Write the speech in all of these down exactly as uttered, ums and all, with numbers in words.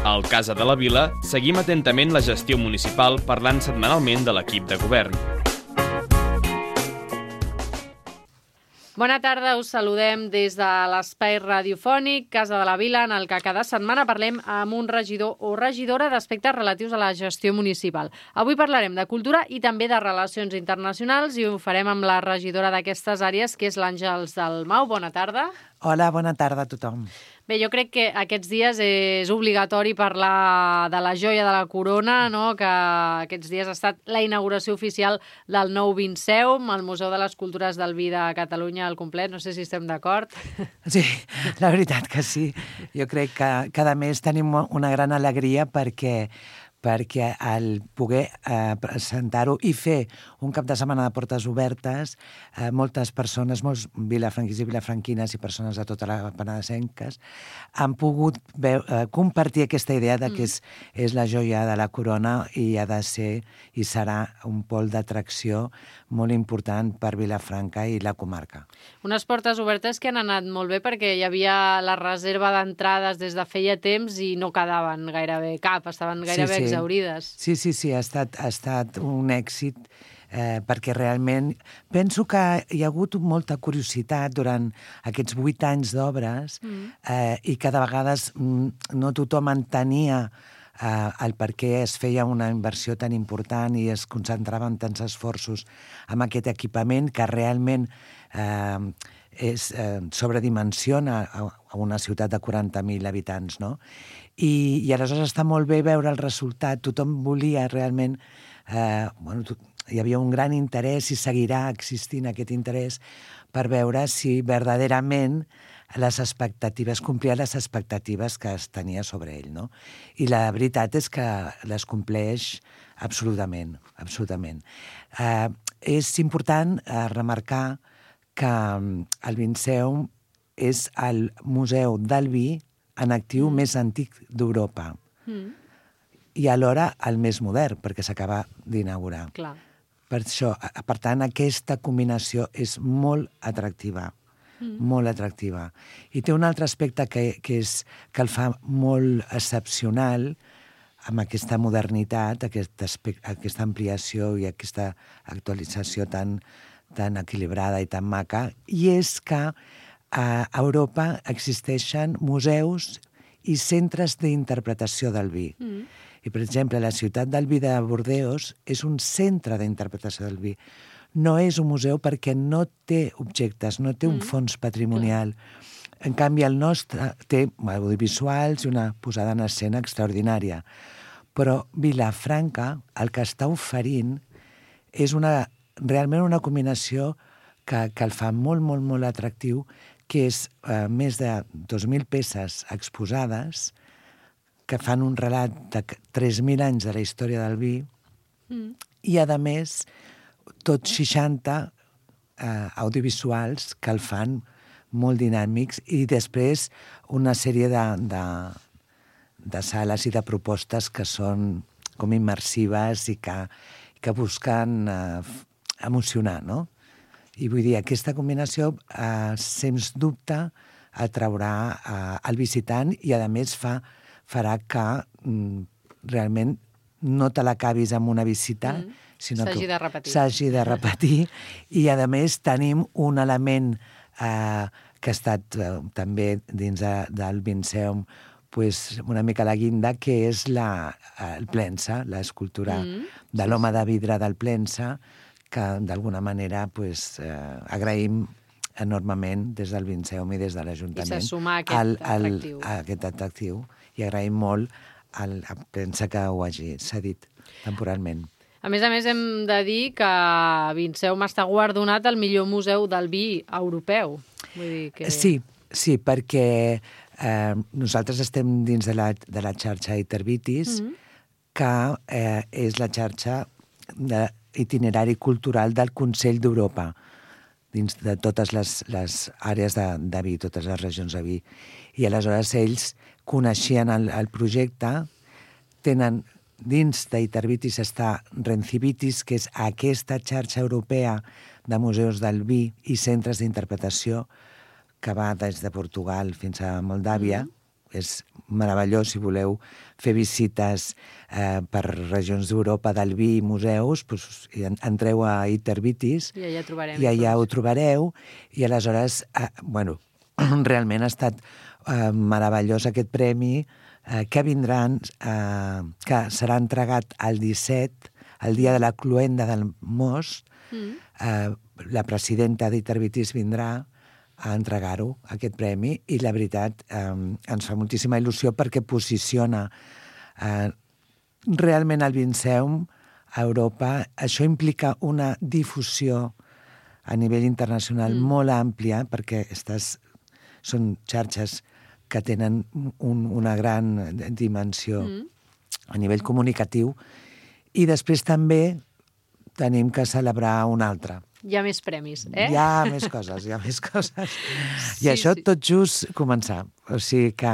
Al Casa de la Vila seguim atentament la gestió municipal parlant setmanalment de l'equip de govern. Bona tarda, us saludem des de l'espai radiofònic Casa de la Vila, en el que cada setmana parlem amb un regidor o regidora d'aspectes relatius a la gestió municipal. Avui parlarem de cultura i també de relacions internacionals i ho farem amb la regidora d'aquestes àrees, que és l'Àngels Dalmau. Bona tarda. Hola, bona tarda a tothom. Bé, jo crec que aquests dies és obligatori parlar de la joia de la corona, no? Que aquests dies ha estat la inauguració oficial del nou Vinceum, el Museu de les Cultures del Vi de Catalunya al complet. No sé si estem d'acord. Sí, la veritat que sí. Jo crec que cada mes tenim una gran alegria perquè perquè al poder eh, presentar-ho i fer un cap de setmana de portes obertes, eh, moltes persones, molts vilafranquins i vilafranquines i persones de tota la penedesenques han pogut veu, eh, compartir aquesta idea de que és, és la joia de la corona i ha de ser i serà un pol d'atracció molt important per Vilafranca i la comarca. Unes portes obertes que han anat molt bé perquè hi havia la reserva d'entrades des de feia temps i no quedaven gairebé cap, estaven gairebé sí, sí. exaurides. Sí, sí, sí, ha estat, ha estat un èxit eh, perquè realment penso que hi ha hagut molta curiositat durant aquests vuit anys d'obres mm. eh, i que de vegades mm, no tothom entenia Uh, el per què es feia una inversió tan important i es concentraven tants esforços amb aquest equipament que realment uh, és, uh, sobredimensiona a, a una ciutat de quaranta mil habitants, no? I, i aleshores està molt bé veure el resultat. Tothom volia realment... Uh, bueno, to, hi havia un gran interès i seguirà existint aquest interès per veure si verdaderament les expectatives, complia les expectatives que es tenia sobre ell, no? I la veritat és que les compleix absolutament, absolutament. Eh, és important eh, remarcar que el Vinceum és el museu del vi en actiu mm. més antic d'Europa mm. i alhora el més modern, perquè s'acaba d'inaugurar. Clar. Per això, per tant, aquesta combinació és molt atractiva. Mm. molt atractiva. I té un altre aspecte que, que, és, que el fa molt excepcional amb aquesta modernitat, aquest aspecte, aquesta ampliació i aquesta actualització tan, tan equilibrada i tan maca, i és que a Europa existeixen museus i centres d'interpretació del vi. Mm. I, per exemple, la ciutat del vi de Bordeus és un centre d'interpretació del vi. No és un museu perquè no té objectes, no té un fons patrimonial. En canvi, el nostre té audiovisuals i una posada en escena extraordinària. Però Vilafranca, el que està oferint, és una, realment una combinació que, que el fa molt, molt, molt atractiu, que és eh, més de dos mil peces exposades que fan un relat de tres mil anys de la història del vi mm. i, a més, tot seixanta eh, audiovisuals que el fan molt dinàmics i després una sèrie de, de, de sales i de propostes que són com immersives i que, que busquen eh, emocionar, no? I vull dir, aquesta combinació, eh, sens dubte, atraurà eh, el visitant i, a més, fa, farà que mm, realment no te l'acabis amb una visita, mm. sinó s'hagi que de repetir. s'hagi de repetir. I, a més, tenim un element eh, que ha estat eh, també dins de, del Vinceum pues, una mica la guinda, que és la, el Plensa, l'escultura mm. de l'home de vidre del Plensa, que d'alguna manera pues, eh, agraïm enormement des del Vinceum i des de l'Ajuntament. I s'assumar aquest al, al, atractiu. A aquest atractiu. I agraïm molt al Plensa que ho hagi cedit temporalment. A més a més, hem de dir que Vinceum està guardonat al millor museu del vi europeu. Vull dir que... Sí, sí, perquè eh, nosaltres estem dins de la, de la xarxa Itervitis, mm-hmm. que eh, és la xarxa d'itinerari cultural del Consell d'Europa, dins de totes les, les àrees de, de vi, totes les regions de vi. I aleshores ells coneixien el, el projecte, tenen dins d'Itervitis està Rencivitis, que és aquesta xarxa europea de museus del vi i centres d'interpretació que va des de Portugal fins a Moldàvia, mm. és meravellós si voleu fer visites eh, per regions d'Europa del vi i museus, doncs, entreu a Itervitis i allà trobarem. I allà ho trobareu, i aleshores, eh, bueno, realment ha estat eh, meravellós aquest premi, eh, que vindran, eh, que serà entregat el disset, el dia de la cloenda del most. Mm. eh, la presidenta d'Itervitis vindrà a entregar-ho, aquest premi, i la veritat eh, ens fa moltíssima il·lusió perquè posiciona eh, realment el Vinceum a Europa. Això implica una difusió a nivell internacional mm. molt àmplia, perquè estas són xarxes que tenen un, una gran dimensió mm. a nivell comunicatiu, i després també tenim que celebrar un altre. Hi ha més premis, eh? Hi ha més coses, hi ha més coses. Sí, I això sí. tot just començar. O sigui que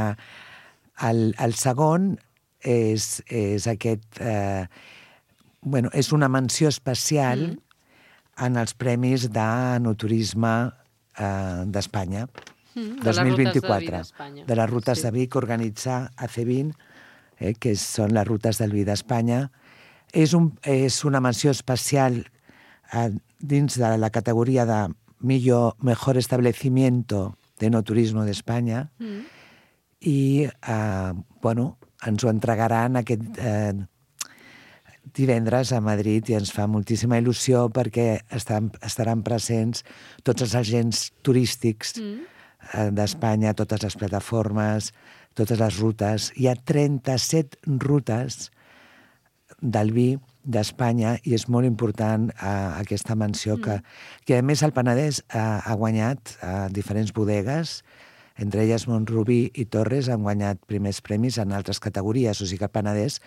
el, el segon és, és aquest... Eh, bueno, és una menció especial mm. en els premis d'enoturisme eh, d'Espanya, mm, dos mil vint-i-quatre. De, de les rutes sí. de vi que organitza A C vint, eh, que són les rutes del vi d'Espanya. És, un, és una menció especial eh, dins de la categoria de millor, mejor establecimiento de no turismo d'Espanya mm. i eh, bueno, ens ho entregaran aquest eh, divendres a Madrid, i ens fa moltíssima il·lusió perquè estan, estaran presents tots els agents turístics mm. eh, d'Espanya, totes les plataformes, totes les rutes. Hi ha trenta-set rutes del vi d'Espanya, i és molt important eh, aquesta menció mm. que, que a més el Penedès eh, ha guanyat a eh, diferents bodegues, entre elles Montrubí i Torres han guanyat primers premis en altres categories, o sigui que el Penedès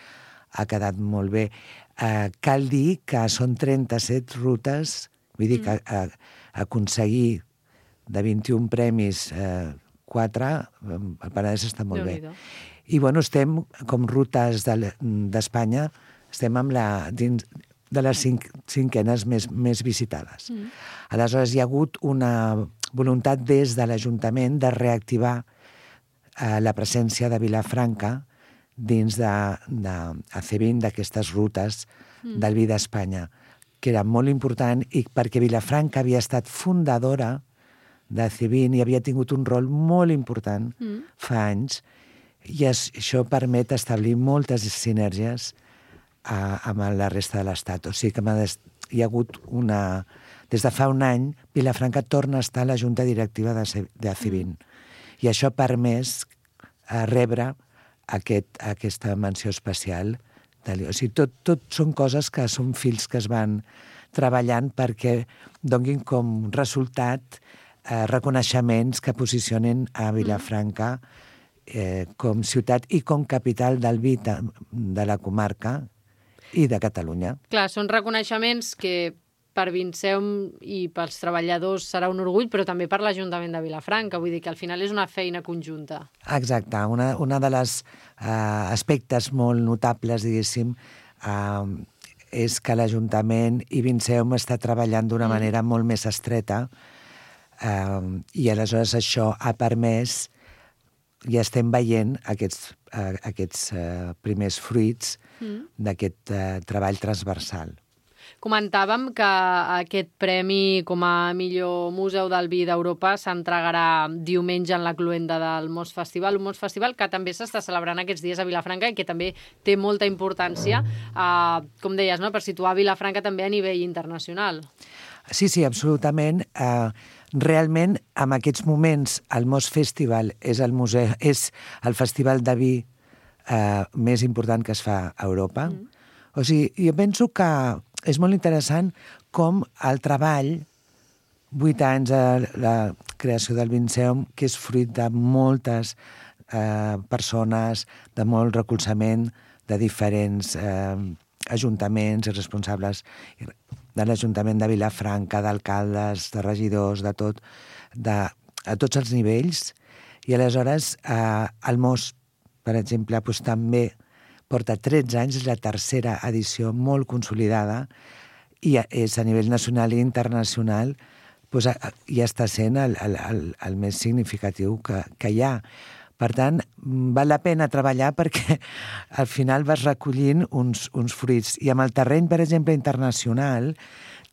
ha quedat molt bé. Eh, cal dir que són trenta-set rutes, vull dir mm. que eh, aconseguir de vint-i-un premis eh, quatre, el Penedès està molt bé. I bueno, estem com rutes d'Espanya, de, estem amb la, dins de les cinc, cinquenes més, més visitades. Mm. Aleshores, hi ha hagut una voluntat des de l'Ajuntament de reactivar eh, la presència de Vilafranca dins de, de A C vint, d'aquestes rutes mm. del vi d'Espanya, que era molt important, i perquè Vilafranca havia estat fundadora de A C vint i havia tingut un rol molt important mm. fa anys, i es, això permet establir moltes sinergies a, amb la resta de l'Estat. O sigui que hi ha hagut una... Des de fa un any, Vilafranca torna a estar a la Junta Directiva de A C vint. Mm. I això ha permès a rebre aquest, aquesta menció especial. O sigui, tot, tot són coses que són fils que es van treballant perquè donguin com resultat eh, reconeixements que posicionen a Vilafranca eh, com ciutat i com capital del vi de, de la comarca i de Catalunya. Clar, són reconeixements que per Vinceum i pels treballadors serà un orgull, però també per l'Ajuntament de Vilafranca. Vull dir que al final és una feina conjunta. Exacte. Una, una de les eh, aspectes molt notables, diguéssim, eh, és que l'Ajuntament i Vinceum està treballant d'una mm. manera molt més estreta, eh, i aleshores això ha permès, ja estem veient aquests, eh, aquests eh, primers fruits mm. d'aquest eh, treball transversal. Comentàvem que aquest premi com a millor museu del vi d'Europa s'entregarà diumenge en la cloenda del Most Festival, un Most Festival que també s'està celebrant aquests dies a Vilafranca i que també té molta importància, eh, com deies, no?, per situar Vilafranca també a nivell internacional. Sí, sí, absolutament. Eh, realment, en aquests moments, el Most Festival és el, museu, és el festival de vi eh, més important que es fa a Europa. Mm. O sigui, jo penso que és molt interessant com el treball, vuit anys de la creació del Vinceum, que és fruit de moltes eh, persones, de molt recolzament de diferents eh, ajuntaments i responsables de l'Ajuntament de Vilafranca, d'alcaldes, de regidors, de tot, de, a tots els nivells. I aleshores eh, el Most, per exemple, doncs, també porta tretze anys, és la tercera edició molt consolidada, i és a nivell nacional i internacional, doncs, ja està sent el, el, el, el més significatiu que, que hi ha. Per tant, val la pena treballar perquè al final vas recollint uns, uns fruits. I amb el terreny, per exemple, internacional,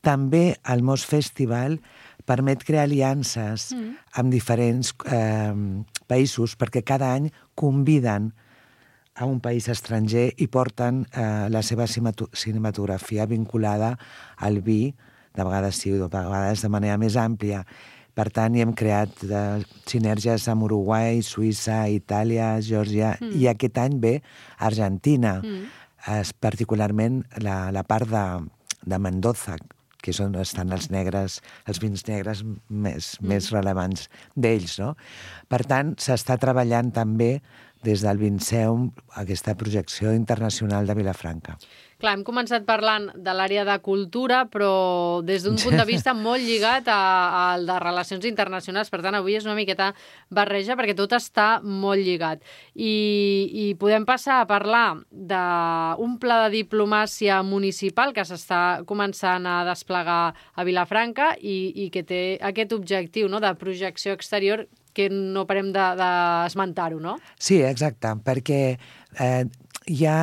també el Mos Festival permet crear aliances mm. amb diferents eh, països perquè cada any conviden a un país estranger i porten eh, la seva cinematografia vinculada al vi, de vegades sí, de vegades de manera més àmplia. Per tant, hi hem creat eh, sinergies amb Uruguai, Suïssa, Itàlia, Geòrgia, mm. i aquest any ve Argentina, mm. es, particularment la, la part de, de Mendoza, que és on estan els negres, els vins negres més, mm. més rellevants d'ells, no? Per tant, s'està treballant també des del Vinceum aquesta projecció internacional de Vilafranca. Clar, hem començat parlant de l'àrea de cultura, però des d'un punt de vista molt lligat al de relacions internacionals. Per tant, avui és una miqueta barreja perquè tot està molt lligat. I, i podem passar a parlar d'un pla de diplomàcia municipal que s'està començant a desplegar a Vilafranca i, i que té aquest objectiu, no?, de projecció exterior que no parem d'esmentar-ho, no? Sí, exacte, perquè eh, hi ha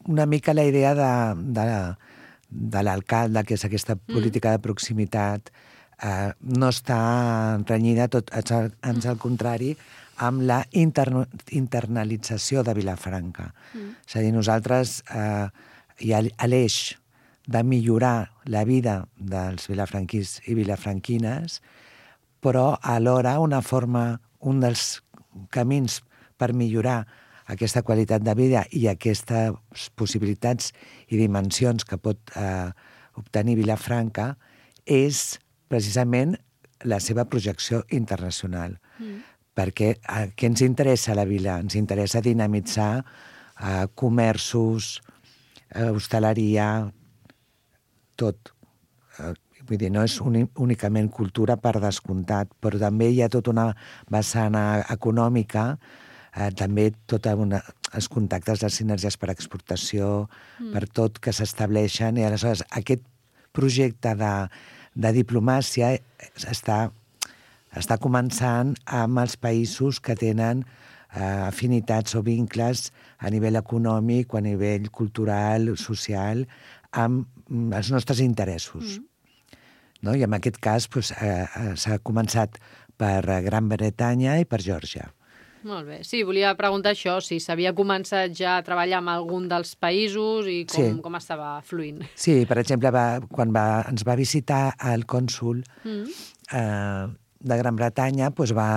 una mica la idea de, de, de l'alcalde, que és aquesta política de proximitat, eh, no està renyida, tot, ans al contrari, amb la interno, internalització de Vilafranca. Mm. És a dir, nosaltres eh, hi ha l'eix de millorar la vida dels vilafranquins i vilafranquines, però alhora una forma, un dels camins per millorar aquesta qualitat de vida i aquestes possibilitats i dimensions que pot eh, obtenir Vilafranca és precisament la seva projecció internacional. Mm. Perquè eh, què ens interessa a la vila? Ens interessa dinamitzar eh, comerços, eh, hostaleria, tot. Eh, vull dir, no és únicament cultura per descomptat, però també hi ha tota una vessant econòmica, eh, també tots els contactes, les sinergies per exportació, mm. per tot que s'estableixen. I aleshores aquest projecte de, de diplomàcia està, està començant amb els països que tenen eh, afinitats o vincles a nivell econòmic o a nivell cultural, social, amb els nostres interessos. Mm. No? I en aquest cas doncs, eh, s'ha començat per Gran Bretanya i per Geòrgia. Molt bé. Sí, volia preguntar això, si s'havia començat ja a treballar amb algun dels països i com, sí. com estava fluint. Sí, per exemple, va, quan va, ens va visitar el cònsol mm. eh, de Gran Bretanya, doncs va,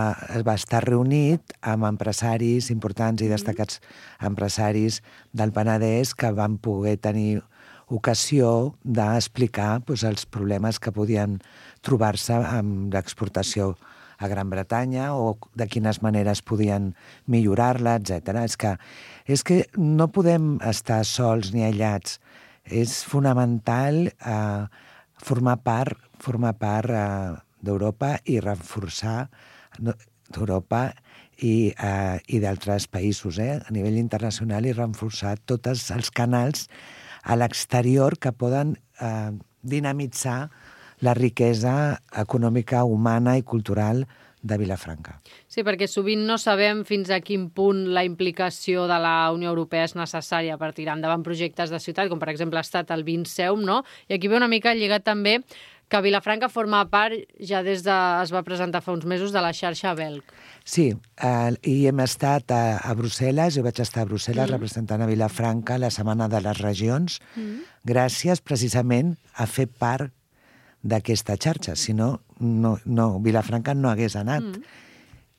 va estar reunit amb empresaris importants i destacats mm. empresaris del Penedès que van poder tenir ocasió d'explicar doncs, els problemes que podien trobar-se amb l'exportació a Gran Bretanya o de quines maneres podien millorar-la, etcètera. És que, és que no podem estar sols ni aïllats. És fonamental eh, formar part, formar part eh, d'Europa i reforçar d'Europa i, eh, i d'altres països, eh, a nivell internacional, i reforçar tots els canals a l'exterior que poden eh, dinamitzar la riquesa econòmica, humana i cultural de Vilafranca. Sí, perquè sovint no sabem fins a quin punt la implicació de la Unió Europea és necessària per tirar endavant projectes de ciutat, com per exemple ha estat el Vinceum, no? I aquí ve una mica lligat també que Vilafranca forma part, ja des de... es va presentar fa uns mesos, de la xarxa Belg. Sí, eh, i hem estat a, a Brussel·les, jo vaig estar a Brussel·les mm. representant a Vilafranca la Setmana de les Regions, mm. gràcies precisament a fer part d'aquesta xarxa, si no, no, no Vilafranca no hagués anat. Mm.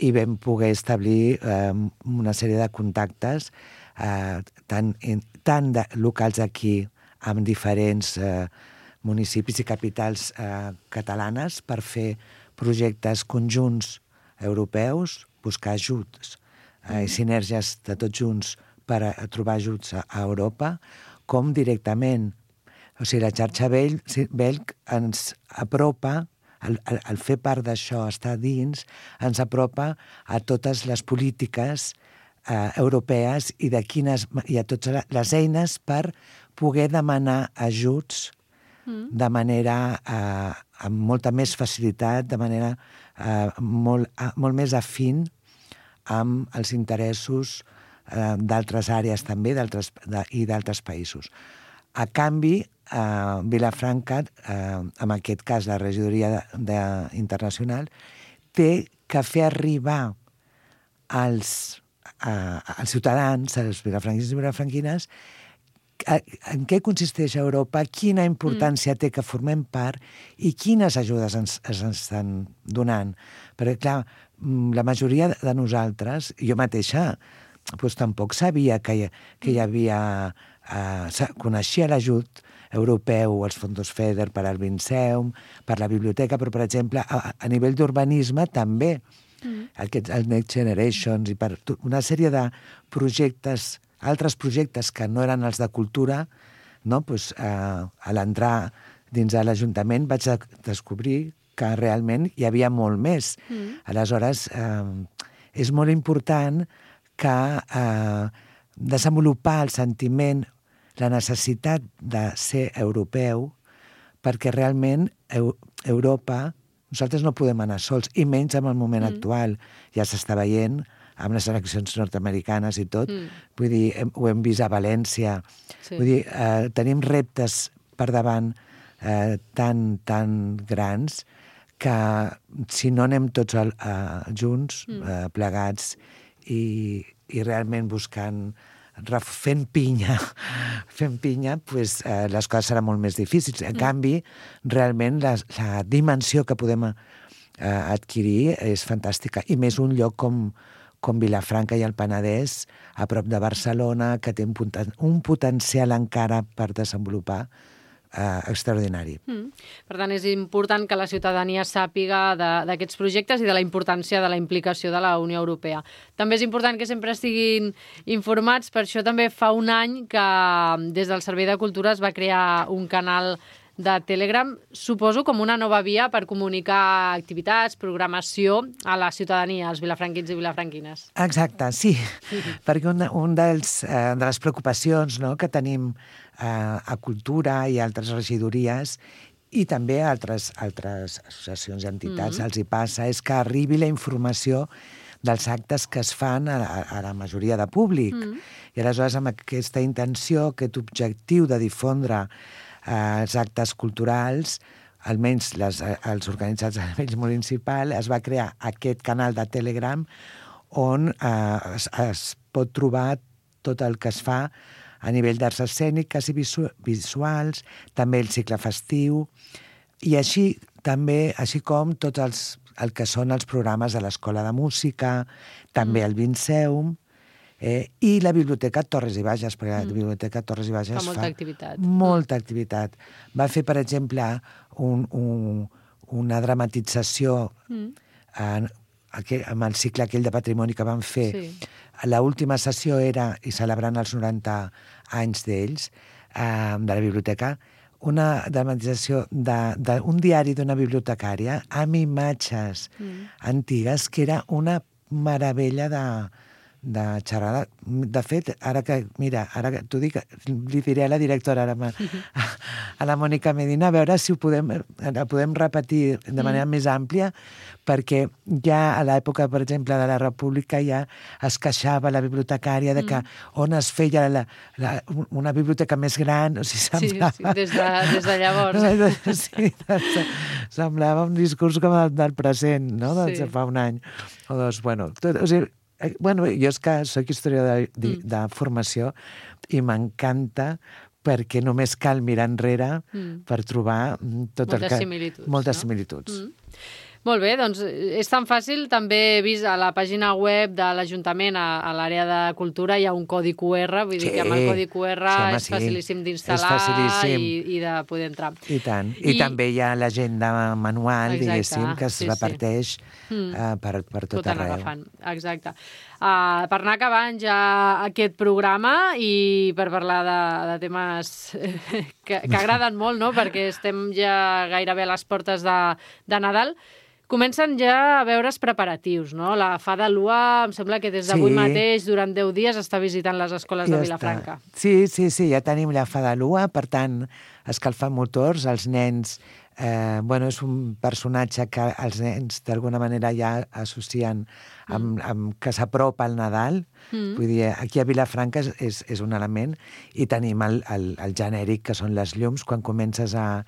I vam poder establir eh, una sèrie de contactes eh, tant, tant de, locals aquí amb diferents eh, municipis i capitals eh, catalanes per fer projectes conjunts europeus, buscar ajuts eh, i sinergies de tots junts per a, a trobar ajuts a, a Europa, com directament. O sigui, la xarxa Belg ens apropa, el, el, el fer part d'això, estar dins, ens apropa a totes les polítiques eh, europees i, de quines, i a totes les eines per poder demanar ajuts mm. de manera eh, amb molta més facilitat, de manera eh, molt, eh, molt més afín amb els interessos eh, d'altres àrees també d'altres de, i d'altres països. A canvi, eh, Vilafranca, eh, en aquest cas la regidoria de, de, internacional, té que fer arribar als, eh, als ciutadans, als vilafranquins i vilafranquines, en què consisteix Europa, quina importància mm. té que formem part i quines ajudes ens, ens estan donant. Perquè, clar, la majoria de nosaltres, jo mateixa, doncs, tampoc sabia que hi, que hi havia... Eh, coneixia l'ajut europeu, els fons FEDER per al Vinceum, per la biblioteca, però, per exemple, a, a nivell d'urbanisme també, mm. aquests, el Next Generations, i per una sèrie de projectes, altres projectes que no eren els de cultura, no? Pues, eh, a l'entrar dins de l'Ajuntament vaig descobrir que realment hi havia molt més. Mm. Aleshores, eh, és molt important que eh, desenvolupar el sentiment, la necessitat de ser europeu, perquè realment Eu- Europa, nosaltres no podem anar sols, i menys en el moment mm. actual. Ja s'està veient amb les eleccions nord-americanes i tot. Mm. Vull dir, hem, ho hem vist a València. Sí. Vull dir, eh, tenim reptes per davant eh, tan, tan grans que si no anem tots al, eh, junts, mm. eh, plegats, i, i realment buscant, fent pinya, fent pinya, pues, eh, les coses seran molt més difícils. En mm. canvi, realment, la, la dimensió que podem eh, adquirir és fantàstica. I més un lloc com, com Vilafranca i el Penedès, a prop de Barcelona, que té un, poten un potencial encara per desenvolupar eh, extraordinari. Mm. Per tant, és important que la ciutadania sàpiga d'aquests projectes i de la importància de la implicació de la Unió Europea. També és important que sempre estiguin informats, per això també fa un any que des del Servei de Cultura es va crear un canal de Telegram, suposo com una nova via per comunicar activitats, programació a la ciutadania, als vilafranquins i vilafranquines. Exacte, sí, perquè un, un dels, eh, de les preocupacions, no?, que tenim eh, a Cultura i altres regidories i també a altres, altres associacions i entitats, mm-hmm. els hi passa, és que arribi la informació dels actes que es fan a, a, a la majoria de públic. Mm. I aleshores, amb aquesta intenció, aquest objectiu de difondre els actes culturals, almenys les, els organitzats a nivell municipal, es va crear aquest canal de Telegram on eh, es, es pot trobar tot el que es fa a nivell d'arts escèniques i visu visuals, també el cicle festiu, i així també, així com tots els, el que són els programes de l'Escola de Música, també mm. el Vinceum, Eh, i la Biblioteca Torres i Bages, perquè mm. la Biblioteca Torres i Bages fa molta fa activitat. molta activitat. Va fer, per exemple, un, un, una dramatització mm. en, aquell, amb el cicle aquell de patrimoni que van fer. Sí. L'última sessió era, i celebrant els noranta anys d'ells, eh, de la biblioteca, una dramatització d'un diari d'una bibliotecària amb imatges mm. antigues, que era una meravella de... de xerrada. De fet, ara que, mira, ara que t'ho dic, li diré a la directora, ara, a, a la Mònica Medina, a veure si ho podem, la podem repetir de manera mm. més àmplia, perquè ja a l'època, per exemple, de la República ja es queixava la bibliotecària de que mm. on es feia la, la, una biblioteca més gran, o sigui, semblava... Sí, sí, des de, des de llavors. Sí, semblava un discurs com el del present, no?, de sí. fa un any o dos. Bueno, tot, o sigui, Bueno, jo és que soc historiador de, de, mm. de formació i m'encanta perquè només cal mirar enrere mm. per trobar tot moltes el que... similituds. Moltes no? similituds. Mm. Molt bé, doncs és tan fàcil. També he vist a la pàgina web de l'Ajuntament, a, a l'àrea de cultura, hi ha un codi Q R, vull sí, dir que amb el codi Q R sí, home, és facilíssim d'instal·lar i, i de poder entrar. I tant. I, I també hi ha l'agenda manual, exacte, diguéssim, que es sí, reparteix sí. uh, per, per tot, tot arreu. Agafant. Exacte. Uh, per anar acabant ja aquest programa i per parlar de, de temes que, que agraden molt, no?, perquè estem ja gairebé a les portes de, de Nadal, comencen ja a veure's preparatius, no? La Fada Lua, em sembla que des d'avui sí. mateix, durant deu dies, està visitant les escoles ja de Vilafranca. Està. Sí, sí, sí, ja tenim la Fada Lua, per tant, escalfant motors, els nens Eh, bueno, és un personatge que els nens d'alguna manera ja associen amb, mm. amb que s'apropa al Nadal. Mm. Vull dir, aquí a Vilafranca és, és, és un element, i tenim el, el, el genèric, que són les llums, quan comences a,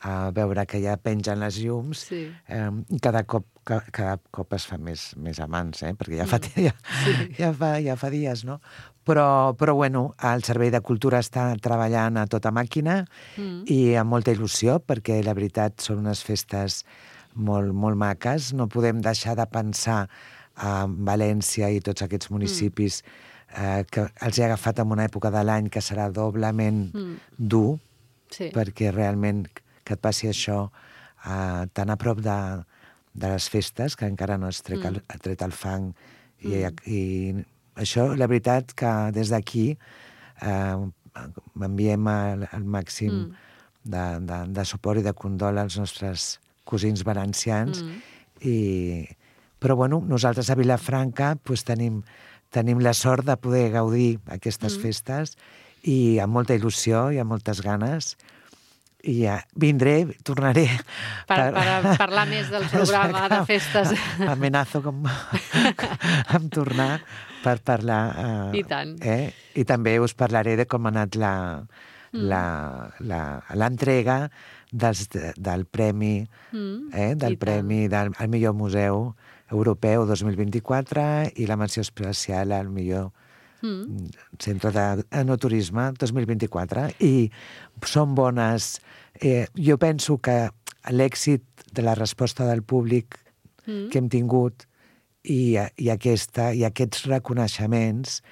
a veure que ja pengen les llums, sí. eh, i cada cop, ca, cada cop es fa més, més amants, eh? Perquè ja fa, mm. ja, sí. ja, fa, ja fa dies, no? Però, però bueno, el Servei de Cultura està treballant a tota màquina mm. i amb molta il·lusió, perquè la veritat són unes festes molt, molt maques. No podem deixar de pensar en València i tots aquests municipis mm. eh, que els he agafat en una època de l'any que serà doblement mm. dur, sí. perquè realment que et passi això eh, tan a prop de, de les festes, que encara no has tret, mm. el, tret el fang i, mm. i això, la veritat, que des d'aquí eh, enviem el, el màxim mm. de, de, de suport i de condol als nostres cosins valencians. Mm. I, però, bueno, nosaltres a Vilafranca pues, tenim, tenim la sort de poder gaudir aquestes mm. festes, i amb molta il·lusió i amb moltes ganes. I ja vindré, tornaré... Per, per, per parlar més del programa de festes. Amenazo com, amb tornar per parlar... Eh, I tant. Eh? I també us parlaré de com ha anat la, mm. la, la, l'entrega dels, del premi, mm. eh? del I premi del al millor museu europeu dos mil vint-i-quatre i la menció especial al millor Mm. Centre d'Enoturisme dos mil vint-i-quatre, i són bones. Eh, jo penso que l'èxit de la resposta del públic mm. que hem tingut i, i, aquesta, i aquests reconeixements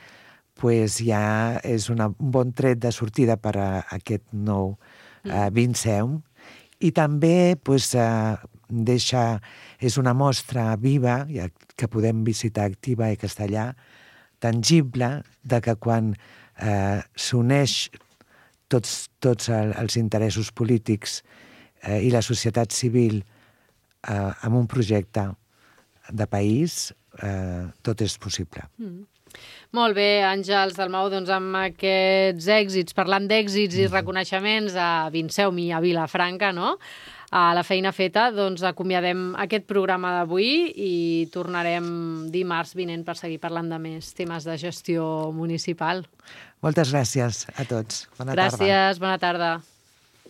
pues, ja és una, un bon tret de sortida per a aquest nou mm. eh, Vinceum, i també pues, eh, deixa, és una mostra viva ja, que podem visitar activa i castellà, tangible, de que quan eh, s'uneix tots, tots el, els interessos polítics eh, i la societat civil eh, amb un projecte de país, eh, tot és possible. Mm. Molt bé, Àngels Dalmau, doncs amb aquests èxits, parlant d'èxits i reconeixements a Vinceum i a Vilafranca, no?, a la feina feta, doncs acomiadem aquest programa d'avui i tornarem dimarts vinent per seguir parlant de més temes de gestió municipal. Moltes gràcies a tots. Bona gràcies, tarda. Bona tarda.